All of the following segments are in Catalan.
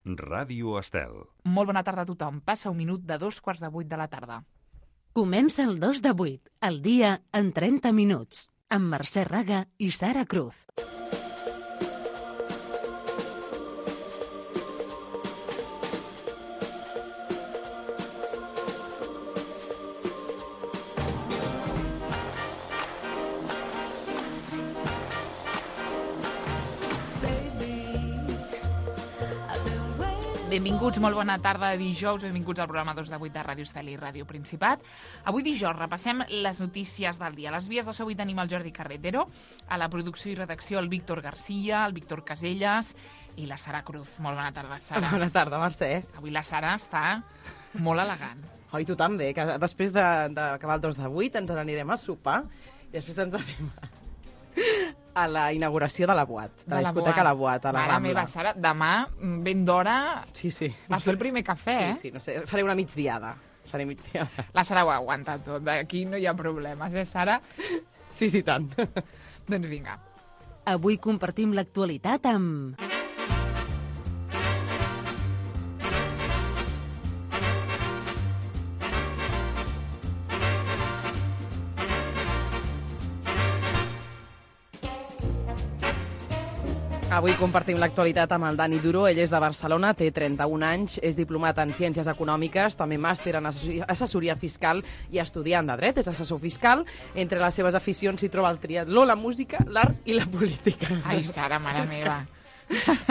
Ràdio Estel. Molt bona tarda a tothom. Passa un minut de 7:45 de la tarda. Comença el 2 de 8, el dia en 30 minuts, amb Mercè Raga i Sara Cruz. Benvinguts, molt bona tarda de dijous, benvinguts al programa 2 de 8 de Ràdio Estel i Ràdio Principat. Avui dijous repassem les notícies del dia. A les vies de so avui tenim el Jordi Carretero, a la producció i redacció el Víctor Garcia, el Víctor Caselles i la Sara Cruz. Molt bona tarda, Sara. Bona tarda, Mercè. Avui la Sara està molt elegant. Oh, i tu també, que després d'acabar el 2 de 8 ens n'anirem a sopar i després ens anem a la inauguració de la Boat, de la discoteca La Boat, a la Mare Rambla. meva, Sara, demà, ben d'hora, Sí. vas fer el primer cafè, Sí, no sé, faré una migdiada. La Sara ho aguanta tot, aquí no hi ha problemes, Sara? Sí, tant. Doncs vinga. Avui compartim l'actualitat amb... Avui compartim l'actualitat amb el Dani Duro. Ell és de Barcelona, té 31 anys, és diplomat en Ciències Econòmiques, també màster en assessoria fiscal i estudiant de dret, és assessor fiscal. Entre les seves aficions s'hi troba el triatló, la música, l'art i la política. Ai, Sara, mare meva.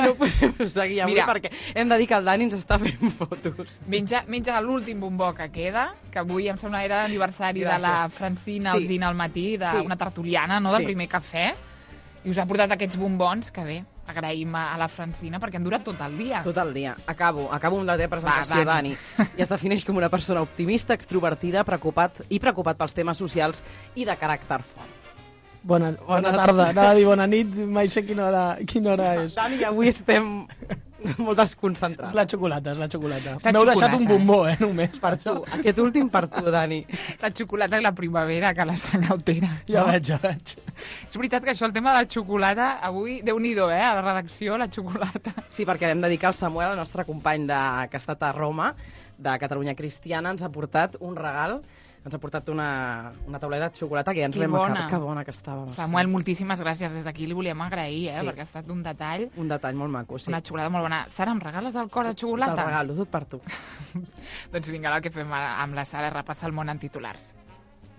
No podem seguir avui. Mira, perquè hem de dir que el Dani ens està fent fotos. Menja l'últim bombó que queda, que avui em sembla era l'aniversari de la Francina Alsina al matí, d'una tertuliana, no, de primer cafè, i us ha portat aquests bombons, que bé, agraïm a la Francina, perquè han durat tot el dia. Tot el dia. Acabo amb la teva presentació, Dani. I es defineix com una persona optimista, extrovertida, preocupat pels temes socials i de caràcter fort. Bona tarda. Anava a dir bona nit, mai sé quina hora és. Dani, avui estem molt desconcentrats. És la xocolata. M'heu deixat un bombó, només. Per tu. Aquest últim per tu, Dani. La xocolata i la primavera, que la sang altera. Ja veig. És veritat que això, el tema de la xocolata, avui, Déu-n'hi-do, a la redacció, la xocolata. Sí, perquè vam dedicar al Samuel, el nostre company que ha estat a Roma, de Catalunya Cristiana, ens ha portat un regal. Ens ha portat una tauleta de xocolata que ja ens l'hem acabat. Que bona que estava. Samuel, moltíssimes gràcies. Des d'aquí li volíem agrair, perquè ha estat un detall. Un detall molt maco, sí. Una xocolata molt bona. Sara, em regales el cor de xocolata? Te'l regalo, tot per tu. Doncs vinga, el que fem amb la Sara, repassar el món en titulars.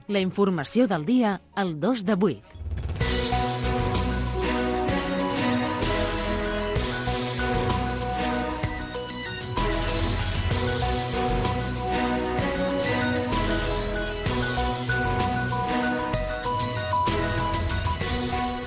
La informació del dia, el 2 de 8.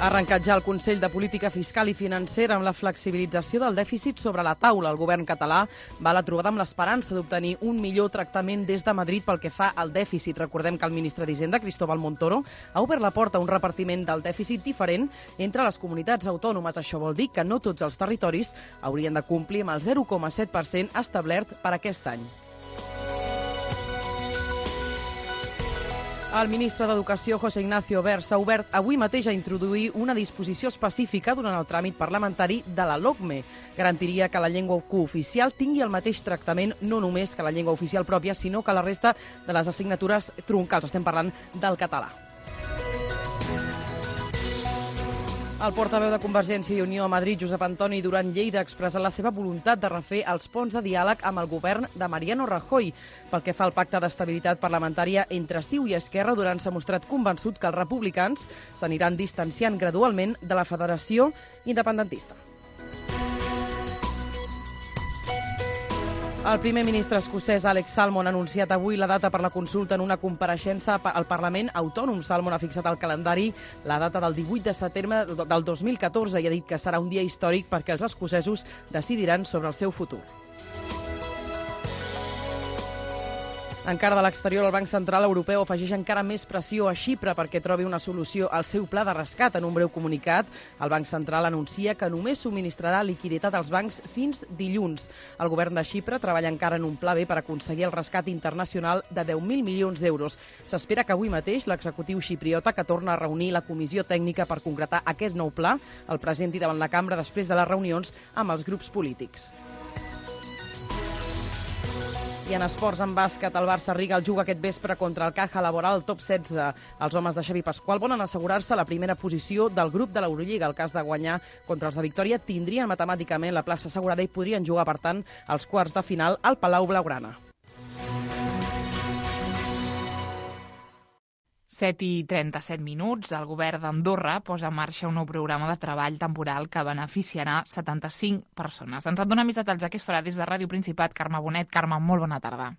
Ha arrencat ja el Consell de Política Fiscal i Financera amb la flexibilització del dèficit sobre la taula. El govern català va a la trobada amb l'esperança d'obtenir un millor tractament des de Madrid pel que fa al dèficit. Recordem que el ministre d'Hisenda, Cristóbal Montoro, ha obert la porta a un repartiment del dèficit diferent entre les comunitats autònomes. Això vol dir que no tots els territoris haurien de complir amb el 0,7% establert per aquest any. El ministre d'Educació, José Ignacio Wert, s'ha obert avui mateix a introduir una disposició específica durant el tràmit parlamentari de la LOCME. Garantiria que la llengua cooficial tingui el mateix tractament no només que la llengua oficial pròpia, sinó que la resta de les assignatures troncals. Estem parlant del català. El portaveu de Convergència i Unió a Madrid, Josep Antoni Duran Lleida, ha expressat la seva voluntat de refer els ponts de diàleg amb el govern de Mariano Rajoy. Pel que fa al pacte d'estabilitat parlamentària entre CiU i Esquerra, Duran s'ha mostrat convençut que els republicans s'aniran distanciant gradualment de la federació independentista. El primer ministre escocès Alex Salmond ha anunciat avui la data per la consulta en una compareixença al Parlament Autònom. Salmond ha fixat al calendari la data del 18 de setembre del 2014 i ha dit que serà un dia històric perquè els escocesos decidiran sobre el seu futur. Encara de l'exterior, el Banc Central Europeu afegeix encara més pressió a Xipre perquè trobi una solució al seu pla de rescat. En un breu comunicat, el Banc Central anuncia que només subministrarà liquiditat als bancs fins dilluns. El govern de Xipre treballa encara en un pla B per aconseguir el rescat internacional de 10.000 milions d'euros. S'espera que avui mateix l'executiu xipriota, que torna a reunir la comissió tècnica per concretar aquest nou pla, el presenti davant la cambra després de les reunions amb els grups polítics. I en esports, en bàsquet, el Barça Riga el juga aquest vespre contra el Caja Laboral, top 16. Els homes de Xavi Pasqual volen assegurar-se la primera posició del grup de l'Eurolliga. El cas de guanyar contra els de Victòria tindrien matemàticament la plaça assegurada i podrien jugar, per tant, als quarts de final al Palau Blaugrana. 7:37. El govern d'Andorra posa en marxa un nou programa de treball temporal que beneficiarà 75 persones. Ens en dona més detalls a aquesta hora des de Ràdio Principat. Carme Bonet. Carme, molt bona tarda.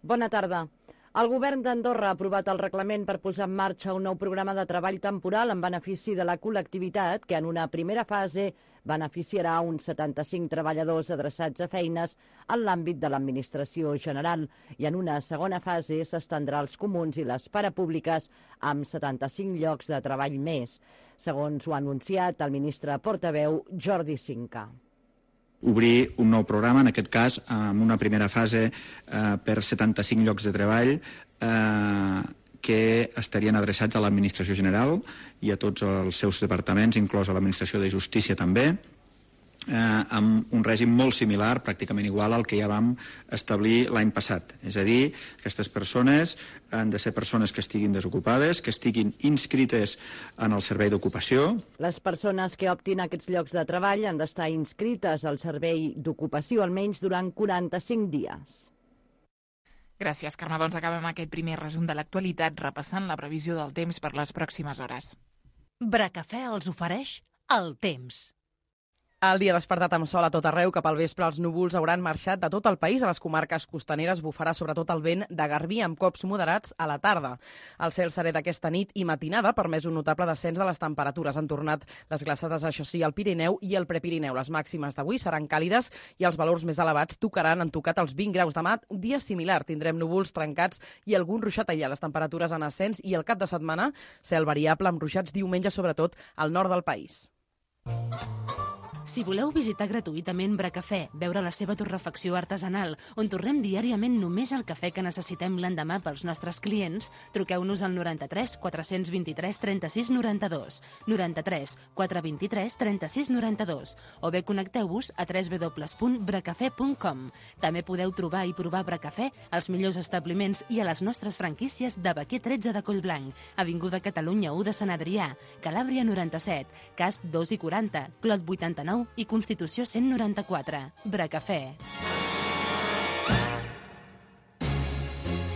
Bona tarda. El govern d'Andorra ha aprovat el reglament per posar en marxa un nou programa de treball temporal en benefici de la col·lectivitat que en una primera fase beneficiarà uns 75 treballadors adreçats a feines en l'àmbit de l'administració general i en una segona fase s'estendrà als comuns i les parapúbliques amb 75 llocs de treball més, segons ho ha anunciat el ministre portaveu Jordi Cinca. Obrir un nou programa, en aquest cas amb una primera fase per 75 llocs de treball que estarien adreçats a l'administració general i a tots els seus departaments, inclòs a l'administració de justícia també, amb un règim molt similar, pràcticament igual al que ja vam establir l'any passat. És a dir, aquestes persones han de ser persones que estiguin desocupades, que estiguin inscrites en el servei d'ocupació. Les persones que optin a aquests llocs de treball han d'estar inscrites al servei d'ocupació almenys durant 45 dies. Gràcies, Carme. Doncs acabem aquest primer resum de l'actualitat repassant la previsió del temps per les pròximes hores. Bracafè els ofereix el temps. El dia despertat amb sol a tot arreu, cap al vespre els núvols hauran marxat de tot el país. A les comarques costaneres bufarà sobretot el vent de garbí amb cops moderats a la tarda. El cel serè d'aquesta nit i matinada ha permès un notable descens de les temperatures. Han tornat les glaçades, això sí, al Pirineu i al Prepirineu. Les màximes d'avui seran càlides i els valors més elevats han tocat els 20 graus. Demà, un dia similar. Tindrem núvols trencats i algun ruixat allà. Les temperatures en ascens i el cap de setmana cel variable amb ruixats diumenge, sobretot al nord del país. Si voleu visitar gratuïtament Bracafè, veure la seva torrefacció artesanal, on torrem diàriament només el cafè que necessitem l'endemà pels nostres clients, truqueu-nos al 93 423 36 92, 93 423 36 92, o bé connecteu-vos a www.bracafè.com. També podeu trobar i provar Bracafè als millors establiments i a les nostres franquícies de Baquer 13 de Collblanc, Avinguda Catalunya 1 de Sant Adrià, Calàbria 97, Casp 2 i 40, Clot 89 i Constitució 194. Bracafè.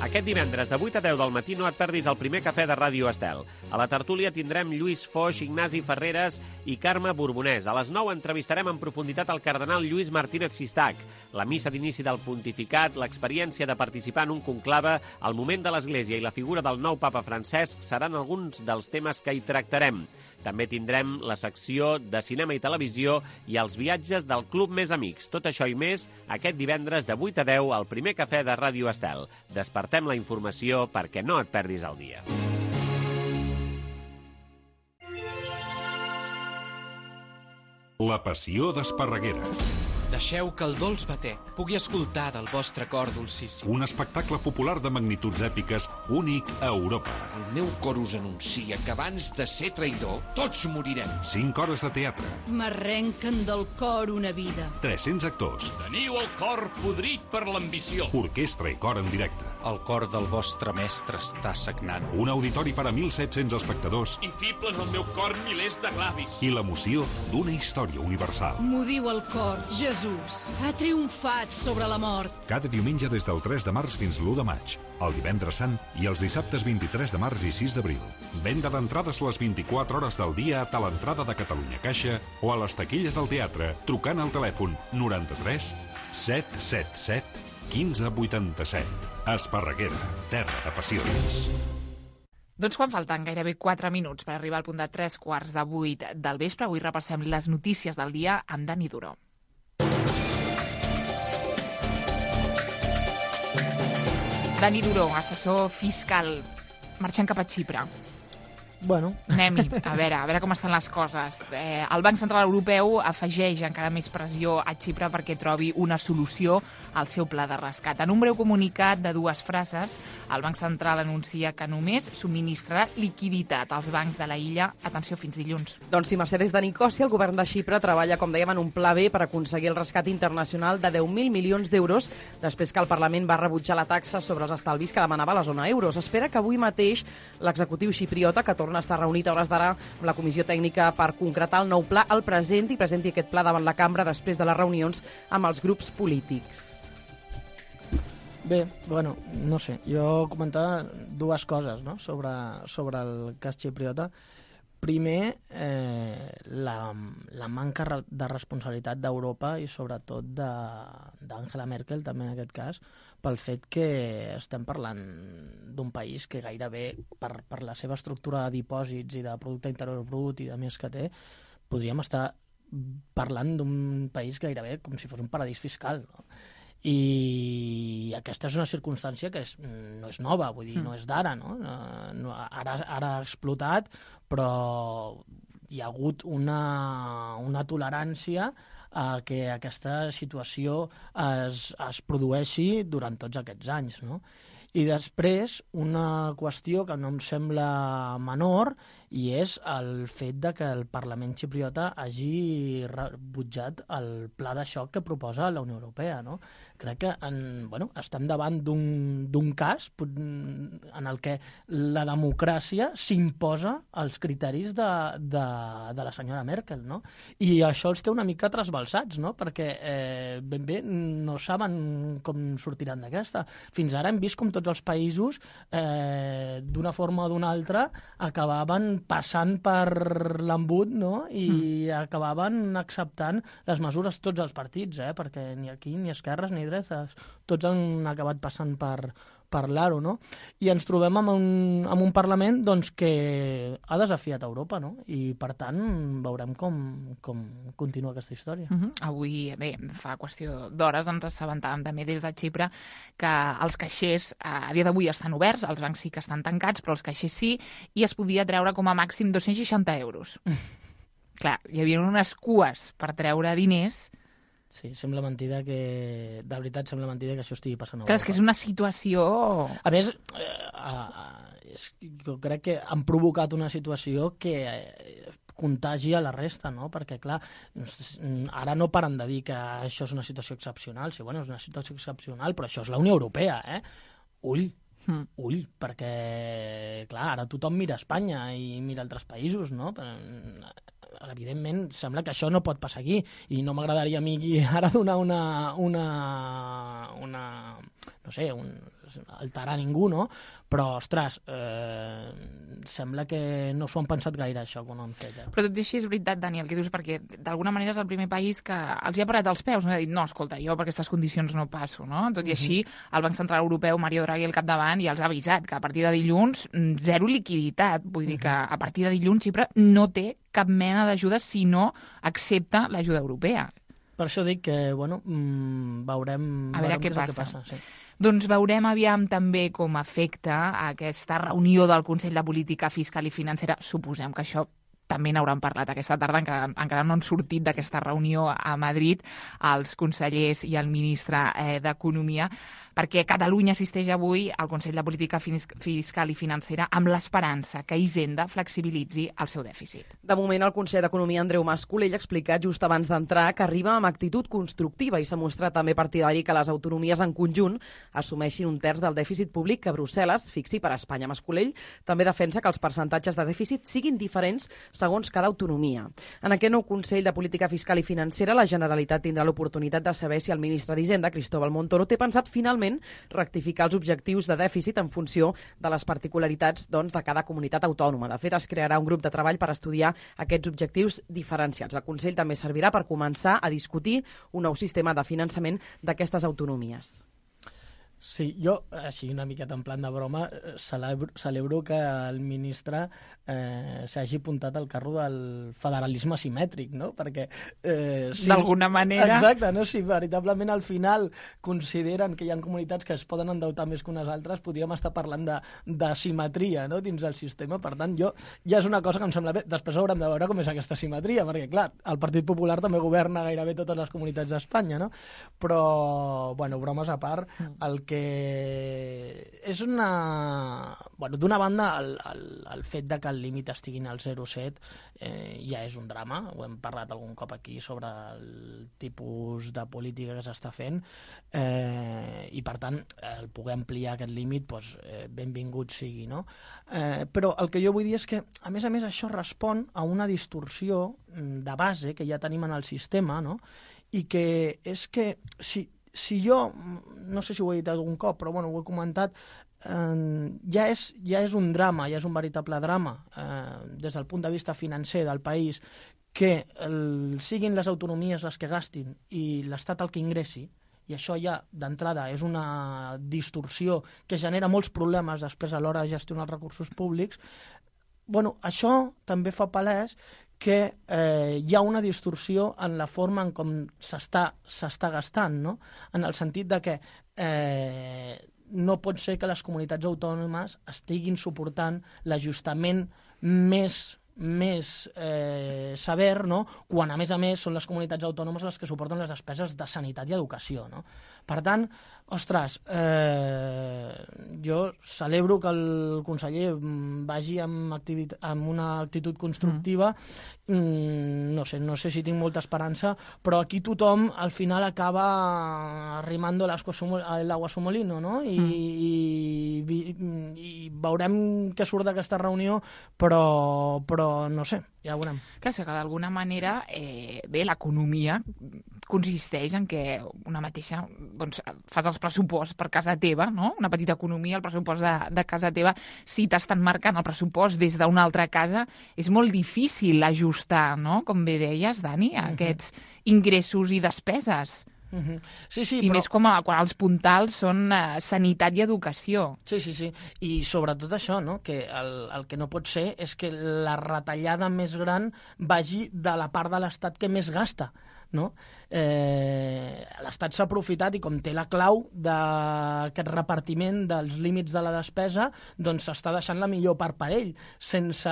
Aquest divendres de 8 a 10 del matí no et perdis el primer cafè de Ràdio Estel. A la tertúlia tindrem Lluís Foix, Ignasi Ferreres i Carme Borbonès. A les 9 entrevistarem en profunditat el cardenal Lluís Martínez Sistac. La missa d'inici del pontificat, l'experiència de participar en un conclave, el moment de l'Església i la figura del nou papa Francesc seran alguns dels temes que hi tractarem. També tindrem la secció de cinema i televisió i els viatges del Club Més Amics. Tot això i més aquest divendres de 8 a 10 al primer cafè de Ràdio Estel. Despertem la informació perquè no et perdis el dia. La passió d'Esparreguera. Deixeu que el dolç bater pugui escoltar del vostre cor dolcíssim. Un espectacle popular de magnituds èpiques únic a Europa. El meu cor us anuncia que abans de ser traïdor, tots morirem. 5 hores de teatre. M'arrenquen del cor una vida. 300 actors. Teniu el cor podrit per l'ambició. Orquestra i cor en directe. El cor del vostre mestre està sagnant. Un auditori per a 1.700 espectadors. I fiblen al meu cor milers de glavis. I l'emoció d'una història universal. M'ho diu el cor, Jesús ha triomfat sobre la mort. Cada diumenge des del 3 de març fins l'1 de maig, el divendres sant i els dissabtes 23 de març i 6 d'abril. Venda d'entrades les 24 hores del dia a l'entrada de Catalunya Caixa o a les taquilles del teatre trucant al telèfon 93 777 1587. Esparreguera, terra de passions. Doncs quan falten gairebé 4 minuts per arribar al punt de 3:15 del vespre, avui repassem les notícies del dia amb Dani Duró. Dani Duró, assessor fiscal, marxant cap a Xipre. Bueno. Anem-hi, a veure com estan les coses. El Banc Central Europeu afegeix encara més pressió a Xipre perquè trobi una solució al seu pla de rescat. En un breu comunicat de 2 frases, el Banc Central anuncia que només subministrarà liquiditat als bancs de la illa, atenció, fins dilluns. Doncs sí, Mercedes de Nicòsia, el govern de Xipre treballa, com dèiem, en un pla B per aconseguir el rescat internacional de 10.000 milions d'euros després que el Parlament va rebutjar la taxa sobre els estalvis que demanava la zona euro. S'espera que avui mateix l'executiu xipriota, que torna a estar reunit a hores d'ara amb la comissió tècnica per concretar el nou pla, el presenti aquest pla davant la cambra després de les reunions amb els grups polítics. Bé, bueno, no sé, jo comentava 2 coses, no?, sobre el cas xipriota. Primer, la manca de responsabilitat d'Europa i sobretot d'Angela Merkel, també en aquest cas, pel fet que estem parlant d'un país que gairebé, per la seva estructura de dipòsits i de producte interior brut i de més que té, podríem estar parlant d'un país gairebé com si fos un paradís fiscal, no? I aquesta és una circumstància que no és nova, vull dir, no és d'ara, no? Ara ha explotat, però hi ha hagut una tolerància a que aquesta situació es produeixi durant tots aquests anys, no? I després, una qüestió que no em sembla menor, i és el fet de que el Parlament xipriota hagi rebutjat el pla de xoc que proposa la Unió Europea, no? Crec que estem davant d'un cas en el que la democràcia s'imposa als criteris de la senyora Merkel, no? I això els té una mica trasbalsats, no? Perquè ben bé no saben com sortiran d'aquesta. Fins ara hem vist com tots els països, d'una forma o d'una altra, acabaven passant per l'embut, no? I acabaven acceptant les mesures tots els partits, perquè ni aquí, ni esquerres, ni dretes, tots han acabat passant per l'aro, no? I ens trobem amb un Parlament doncs, que ha desafiat Europa, no? I, per tant, veurem com continua aquesta història. Avui, bé, fa qüestió d'hores, ens assabentàvem també des de Xipre que els caixers a dia d'avui estan oberts, els bancs sí que estan tancats, però els caixers sí, i es podia treure com a màxim 260 euros. Clar, hi havia unes cues per treure diners. Sí, sembla mentida que... De veritat, sembla mentida que això estigui passant a Europa. Clar, és que és una situació... A més, jo crec que han provocat una situació que contagi a la resta, no? Perquè, clar, ara no paren de dir que això és una situació excepcional. Sí, bueno, és una situació excepcional, però això és la Unió Europea, Ull, perquè, clar, ara tothom mira Espanya i mira altres països, no? Evidentment, sembla que això no pot passar aquí, i no m'agradaria a mi ara donar no sé, alterar ningú, no? Però, ostres, sembla que no s'ho han pensat gaire, això, quan ho han fet. Però tot i així és veritat, Dani, el que dius, perquè d'alguna manera és el primer país que els hi ha parat els peus, no? Ha dit, no, escolta, jo per aquestes condicions no passo, no? Tot i així, el Banc Central Europeu, Mario Draghi al capdavant, ja els ha avisat que a partir de dilluns, zero liquiditat. Vull dir que a partir de dilluns Xipre no té cap mena d'ajuda si no accepta l'ajuda europea. Per això dic que, bueno, veurem què passa. Sí. Doncs veurem aviam també com afecta aquesta reunió del Consell de Política Fiscal i Financera. Suposem que això també n'hauran parlat aquesta tarda, encara no han sortit d'aquesta reunió a Madrid els consellers i el ministre d'Economia, perquè Catalunya assisteix avui al Consell de Política Fiscal i Financera amb l'esperança que Hisenda flexibilitzi el seu dèficit. De moment, el conseller d'Economia, Andreu Mas-Colell, ha explicat just abans d'entrar que arriba amb actitud constructiva i s'ha mostrat també partidari que les autonomies en conjunt assumeixin un terç del dèficit públic que Brussel·les fixi per a Espanya. Mas-Colell també defensa que els percentatges de dèficit siguin diferents segons cada autonomia. En aquest nou Consell de Política Fiscal i Financera, la Generalitat tindrà l'oportunitat de saber si el ministre d'Hisenda, Cristóbal Montoro, té pensat finalment rectificar els objectius de dèficit en funció de les particularitats de cada comunitat autònoma. De fet, es crearà un grup de treball per estudiar aquests objectius diferenciats. El Consell també servirà per començar a discutir un nou sistema de finançament d'aquestes autonomies. Sí, jo, així una miqueta en plan de broma, celebro que el ministre s'hagi apuntat al carro del federalisme asimètric, no? Perquè... Sí, d'alguna manera... Exacte, no? Si veritablement al final consideren que hi ha comunitats que es poden endeutar més que unes altres, podríem estar parlant d'asimetria, no?, dins del sistema. Per tant, ja és una cosa que em sembla bé. Després haurem de veure com és aquesta asimetria, perquè, clar, el Partit Popular també governa gairebé totes les comunitats d'Espanya, no? Però, bueno, bromes a part, el que és una... Bueno, d'una banda, el fet de que el límit estiguin al 0,7 ja és un drama. Ho hem parlat algun cop aquí sobre el tipus de política que s'està fent i, per tant, el poder ampliar aquest límit, doncs, benvingut sigui, no? Però el que jo vull dir és que, a més, això respon a una distorsió de base que ja tenim en el sistema, no? I que és que si jo, no sé si ho he dit algun cop, però bueno, ho he comentat, ja és un drama, ja és un veritable drama des del punt de vista financer del país que siguin les autonomies les que gastin i l'Estat el que ingressi, i això ja d'entrada és una distorsió que genera molts problemes després a l'hora de gestionar els recursos públics. Bueno, això també fa palès que hi ha una distorsió en la forma en com s'està gastant, no? En el sentit de que no pot ser que les comunitats autònomes estiguin suportant l'ajustament més sever, no?, quan a més són les comunitats autònomes les que suporten les despeses de sanitat i educació, no? Per tant, ostres, jo celebro que el conseller vagi amb una actitud constructiva. No sé si tinc molta esperança, però aquí tothom al final acaba arrimando el agua a su molino, no? I veurem què surt d'aquesta reunió, però no sé, ja ho veurem. Que d'alguna manera, l'economia consisteix en que una mateixa, doncs, fas els pressuposts per casa teva, no? Una petita economia, el pressupost de casa teva, si t'estan marcant el pressupost des d'una altra casa, és molt difícil ajustar, no?, com bé deies, Dani, aquests ingressos i despeses. Sí, I però... més quan els puntals són sanitat i educació. Sí. I sobretot això, no?, que el que no pot ser és que la retallada més gran vagi de la part de l'Estat que més gasta, no? L'Estat s'ha aprofitat i com té la clau d'aquest repartiment dels límits de la despesa, doncs s'està deixant la millor part per ell, sense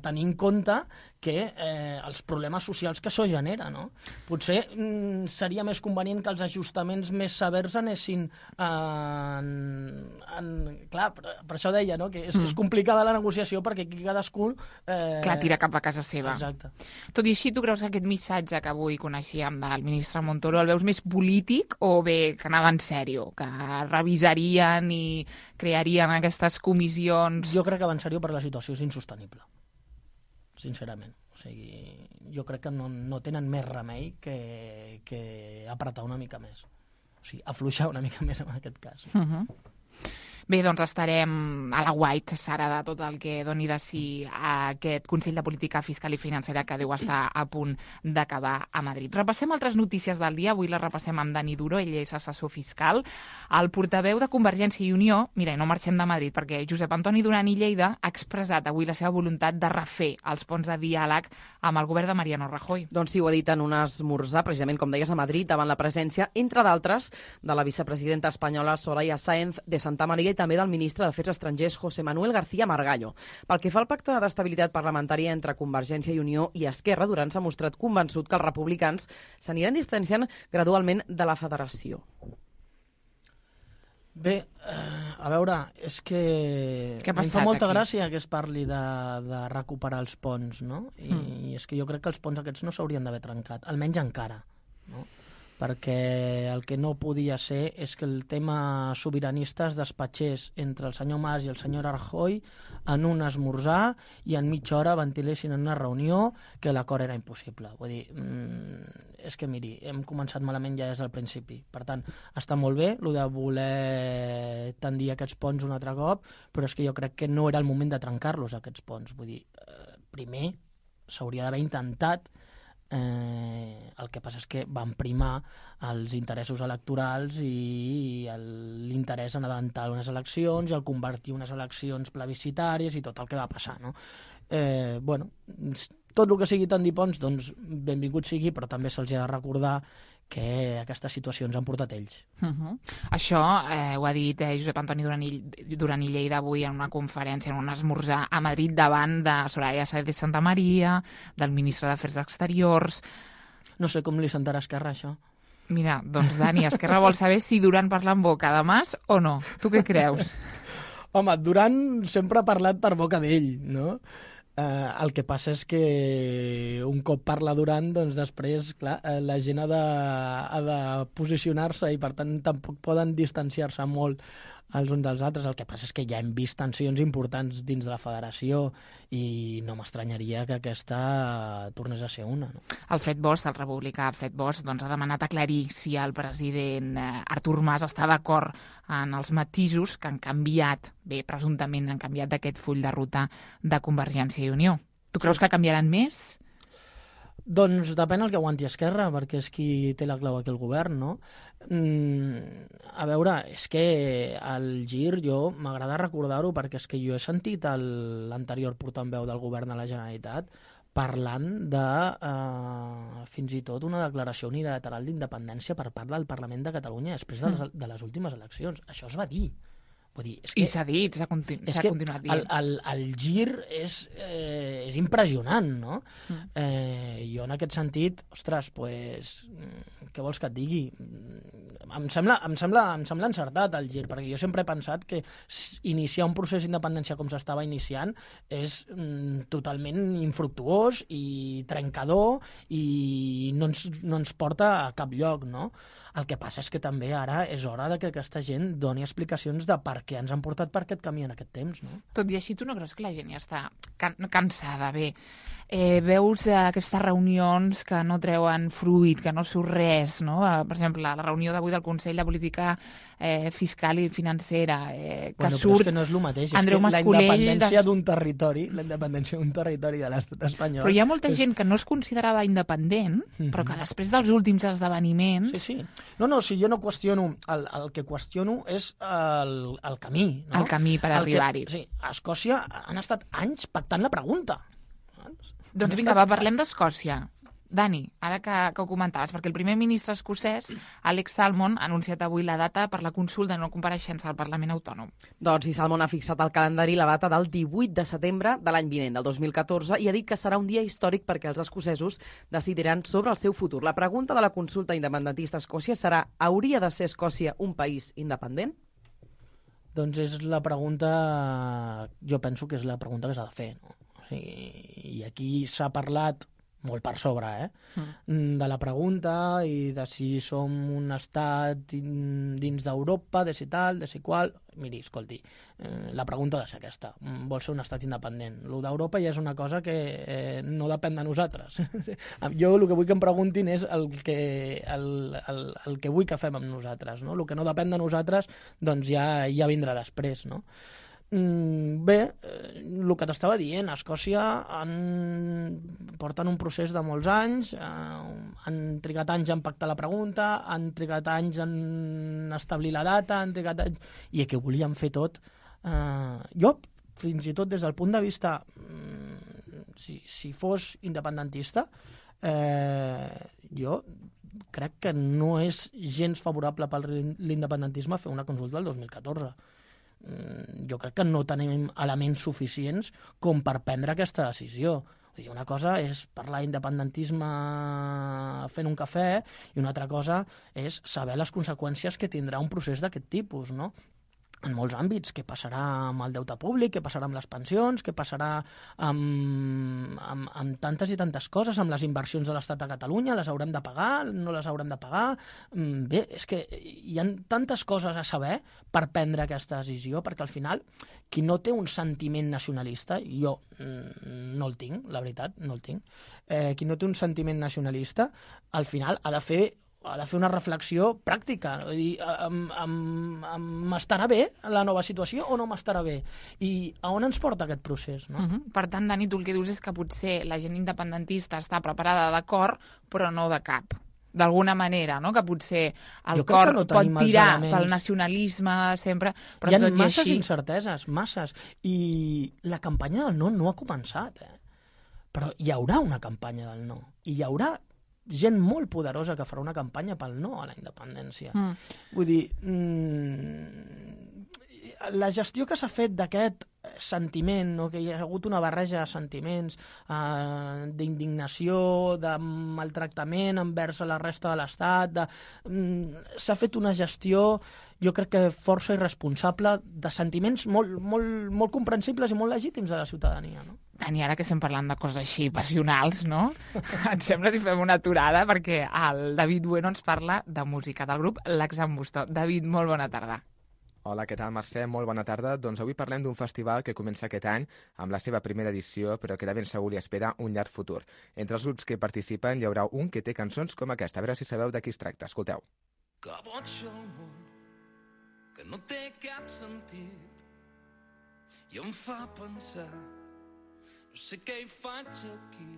tenir en compte que els problemes socials que això genera, no? Potser seria més convenient que els ajustaments més severs anessin clar, per això deia, no?, que és complicada la negociació perquè aquí cadascú... Clar, tira cap a casa seva. Exacte. Tot i així, tu creus que aquest missatge que avui coneixíem del ministre Montoro el veus més polític o bé que anava en sèrio, que revisarien i crearien aquestes comissions? Jo crec que va en sèrio perquè la situació és insostenible, sincerament. O sigui, jo crec que no tenen més remei que apretar una mica més. O sigui, afluixar una mica més en aquest cas. Bé, doncs estarem a la guait, Sara, de tot el que doni de si aquest Consell de Política Fiscal i Financera que deu estar a punt d'acabar a Madrid. Repassem altres notícies del dia. Avui les repassem amb Dani Duro, ell és assessor fiscal. El portaveu de Convergència i Unió, mira, no marxem de Madrid, perquè Josep Antoni Duran i Lleida ha expressat avui la seva voluntat de refer els ponts de diàleg amb el govern de Mariano Rajoy. Doncs sí, ho ha dit en un esmorzar, precisament, com deies, a Madrid, davant la presència, entre d'altres, de la vicepresidenta espanyola Soraya Sáenz de Santamaría i també del ministre d'Afers Estrangers José Manuel García Margallo. Pel que fa al pacte d'estabilitat parlamentària entre Convergència i Unió i Esquerra, Duran s'ha mostrat convençut que els republicans s'aniran distanciant gradualment de la federació. Bé, a veure, és que em fa molta gràcia que es parli de recuperar els ponts, no? I és que jo crec que els ponts aquests no s'haurien d'haver trencat, almenys encara, no? Perquè el que no podia ser és que el tema sobiranista es despatxés entre el senyor Mas i el senyor Rajoy en un esmorzar i en mitja hora ventilessin en una reunió que l'acord era impossible. Vull dir, és que miri, hem començat malament ja des del principi. Per tant, està molt bé el de voler tendir aquests ponts un altre cop, però és que jo crec que no era el moment de trencar-los, aquests ponts. Vull dir, primer s'hauria d'haver intentat El que passa és que van primar els interessos electorals i l'interès en adelantar unes eleccions i el convertir unes eleccions plebiscitàries i tot el que va passar, no? Tot el que sigui tant dir ponts, doncs benvingut sigui, però també se'ls ha de recordar que aquestes situacions han portat ells. Això ho ha dit Josep Antoni Duran i Lleida avui en una conferència, en un esmorzar a Madrid davant de Soraya Sáenz de Santamaría, del ministre d'Afers Exteriors. No sé com li sentarà a Esquerra, això. Mira, doncs Dani, Esquerra vol saber si Duran parla en boca de Mas o no. Tu què creus? Home, Duran sempre ha parlat per boca d'ell, no? El que passa és que un cop parla Duran, doncs després, clar, la gent ha de posicionar-se i per tant tampoc poden distanciar-se molt els uns dels altres. El que passa és que ja hem vist tensions importants dins de la federació i no m'estranyaria que aquesta tornés a ser una, no? Alfred Bosch, el republicà Alfred Bosch, doncs, ha demanat aclarir si el president Artur Mas està d'acord en els matisos que han canviat, presumptament han canviat d'aquest full de ruta de Convergència i Unió. Tu creus que canviaran més? Doncs depèn el que aguanti Esquerra, perquè és qui té la clau aquí al govern, no? A veure, és que el gir, jo m'agrada recordar-ho, perquè és que jo he sentit l'anterior portaveu del govern de la Generalitat parlant de fins i tot una declaració unilateral d'independència per part del Parlament de Catalunya després de les últimes eleccions. Això es va dir. Vull dir, és que, i s'ha dit, s'ha continuat dient. El gir és impressionant, no? Jo en aquest sentit, ostres, pues, què vols que et digui? Em sembla encertat el gir, perquè jo sempre he pensat que iniciar un procés d'independència com s'estava iniciant és totalment infructuós i trencador i no ens porta a cap lloc, no? El que passa és que també ara és hora que aquesta gent doni explicacions de per què ens han portat per aquest camí en aquest temps, no? Tot i així, tu no creus que la gent ja està cansada? Veus aquestes reunions que no treuen fruit, que no surt res, no? Per exemple, la reunió d'avui del Consell de Política Fiscal i Financera, que surt... Però és que no és el mateix, Andreu és que Mascolell... la independència d'un territori de l'estat espanyol... Però hi ha molta gent que no es considerava independent, però que després dels últims esdeveniments... Sí. No, si jo no qüestiono... El que qüestiono és el camí, no? El camí per arribar-hi. Sí, a Escòcia han estat anys pactant la pregunta. Doncs vinga, parlem d'Escòcia. Dani, ara que ho comentaves, perquè el primer ministre escocès, Alex Salmond, ha anunciat avui la data per la consulta de no compareixença al Parlament Autònom. Doncs i Salmond ha fixat al calendari la data del 18 de setembre de l'any vinent, del 2014, i ha dit que serà un dia històric perquè els escocesos decidiran sobre el seu futur. La pregunta de la consulta independentista a Escòcia serà: hauria de ser Escòcia un país independent? Doncs és la pregunta... Jo penso que és la pregunta que s'ha de fer, no? O sigui, i aquí s'ha parlat molt per sobre, de la pregunta i de si som un estat dins d'Europa, de si tal, de si qual. Miri, escolti, la pregunta ha de ser aquesta. Vol ser un estat independent. Lo d'Europa ja és una cosa que no depèn de nosaltres. Jo el que vull que em preguntin és el que vull que fem amb nosaltres, no? El que no depèn de nosaltres doncs ja vindrà després, no? Bé, el que t'estava dient, a Escòcia porten un procés de molts anys, han trigat anys en pactar la pregunta, han trigat anys en establir la data, han trigat anys... I que volien fer tot. Jo, fins i tot des del punt de vista, si fos independentista, jo crec que no és gens favorable per l'independentisme fer una consulta del 2014. Jo crec que no tenim elements suficients com per prendre aquesta decisió. Una cosa és parlar d'independentisme fent un cafè i una altra cosa és saber les conseqüències que tindrà un procés d'aquest tipus, no? En molts àmbits, què passarà amb el deute públic, què passarà amb les pensions, què passarà amb tantes i tantes coses, amb les inversions de l'Estat a Catalunya, les haurem de pagar, no les haurem de pagar... Bé, és que hi ha tantes coses a saber per prendre aquesta decisió, perquè al final, qui no té un sentiment nacionalista, jo no el tinc, la veritat, no el tinc, qui no té un sentiment nacionalista, al final ha de fer ha de fer una reflexió pràctica. Vull dir, m'estarà bé la nova situació o no m'estarà bé? I a on ens porta aquest procés? No? Per tant, Dani, tu el que dius és que potser la gent independentista està preparada de cor, però no de cap. D'alguna manera, no? Que potser el cor pot tirar pel nacionalisme sempre, però hi ha masses incerteses, masses. I la campanya del no ha començat, però hi haurà una campanya del no. I hi haurà gent molt poderosa que farà una campanya pel no a la independència. Vull dir, la gestió que s'ha fet d'aquest sentiment, no? Que hi ha hagut una barreja de sentiments, d'indignació, de maltractament envers la resta de l'Estat, s'ha fet una gestió, jo crec que força irresponsable, de sentiments molt comprensibles i molt legítims de la ciutadania, no? Dani, ara que estem parlant de coses així passionals, no? Et sembla si fem una aturada, perquè el David Bueno ens parla de música del grup L'Axambustó. David, molt bona tarda. Hola, què tal, Mercè? Molt bona tarda. Doncs avui parlem d'un festival que comença aquest any amb la seva primera edició, però que de ben segur li espera un llarg futur. Entre els grups que hi participen hi haurà un que té cançons com aquesta. A veure si sabeu de qui es tracta. Escolteu. Que boig el món, que no té cap sentit, i em fa pensar, no sé què hi faig aquí.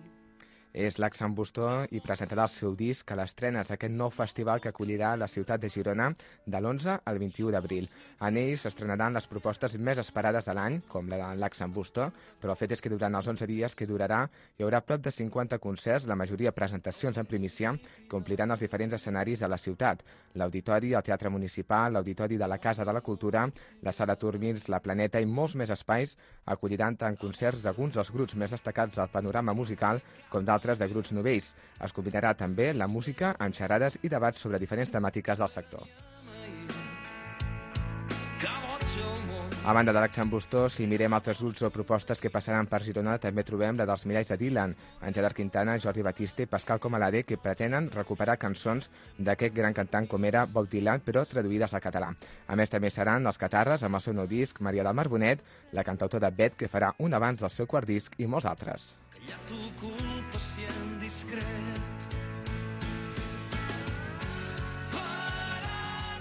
És l'Axambustó i presentarà el seu disc a l'estrenes aquest nou festival que acollirà la ciutat de Girona de l'11 al 21 d'abril. En ell s'estrenaran les propostes més esperades de l'any, com la de l'Axambustó, però el fet és que durant els 11 dies que durarà hi haurà prop de 50 concerts, la majoria presentacions en primícia, que ompliran els diferents escenaris de la ciutat. L'Auditori, el Teatre Municipal, l'Auditori de la Casa de la Cultura, la Sala Turmins, la Planeta i molts més espais acolliran tant concerts d'alguns dels grups més destacats del panorama musical com d'altres de grups novells. Es combinarà també la música amb xerrades i debats sobre diferents temàtiques del sector. A banda de l'Axambustó, si mirem altres grups o propostes que passaran per Girona, també trobem la dels Miralls de Dylan, en Gerard Quintana, Jordi Batiste i Pascal Comalade, que pretenen recuperar cançons d'aquest gran cantant com era Bob Dylan, però traduïdes al català. A més, també seran els Catarres, amb el seu nou disc, Maria del Mar Bonet, la cantautora Bet, que farà un abans del seu quart disc, i molts altres.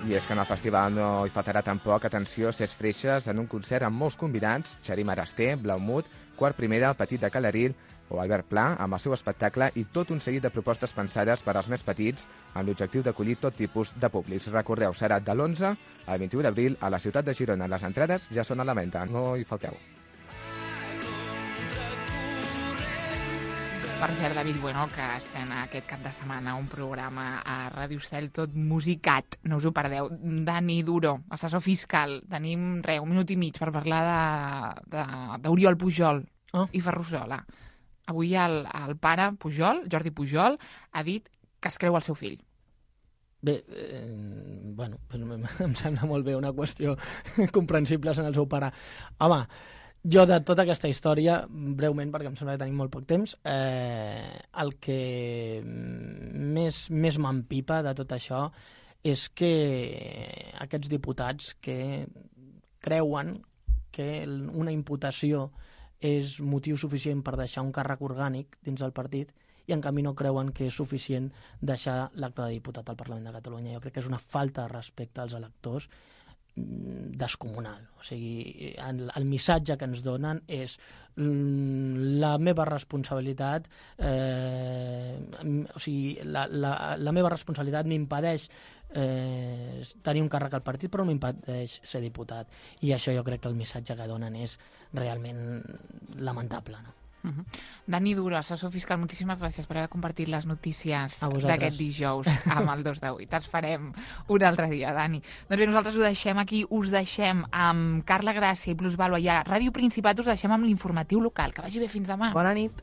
I és que en el festival no hi faltarà tampoc, atenció, Ses Freixes en un concert amb molts convidats, Xarim Arasté, Blaumut, Quart Primera, El Petit de Calaril o Albert Pla, amb el seu espectacle i tot un seguit de propostes pensades per als més petits amb l'objectiu d'acollir tot tipus de públics. Recordeu, serà de l'11 al 21 d'abril a la ciutat de Girona. Les entrades ja són a la venda, no hi falteu. Per cert, David Bueno, que estrena aquest cap de setmana un programa a Ràdio Estel tot musicat, no us ho perdeu. Dani Duro, assessor fiscal, tenim un minut i mig per parlar d'Oriol Pujol i Ferrusola. Avui el pare Pujol, Jordi Pujol, ha dit que es creu el seu fill. Bé, bueno, em sembla molt bé una qüestió comprensible en el seu pare. Home, jo de tota aquesta història, breument, perquè em sembla que tenim molt poc temps, el que més m'empipa de tot això és que aquests diputats que creuen que una imputació és motiu suficient per deixar un càrrec orgànic dins del partit i en canvi no creuen que és suficient deixar l'acte de diputat al Parlament de Catalunya. Jo crec que és una falta de respecte als electors descomunal. O sigui, el missatge que ens donen és la meva responsabilitat, o sigui, la meva responsabilitat m'impedeix tenir un càrrec al partit, però m'impedeix ser diputat. I això jo crec que el missatge que donen és realment lamentable, no? Dani Duro, assessor fiscal, moltíssimes gràcies per haver compartit les notícies d'aquest dijous amb el 2 de 8. Els farem un altre dia, Dani. Doncs bé, nosaltres ho deixem aquí, us deixem amb Carla Gràcia i Plus Vàlua i a Ràdio Principat us deixem amb l'informatiu local. Que vagi bé, fins demà. Bona nit.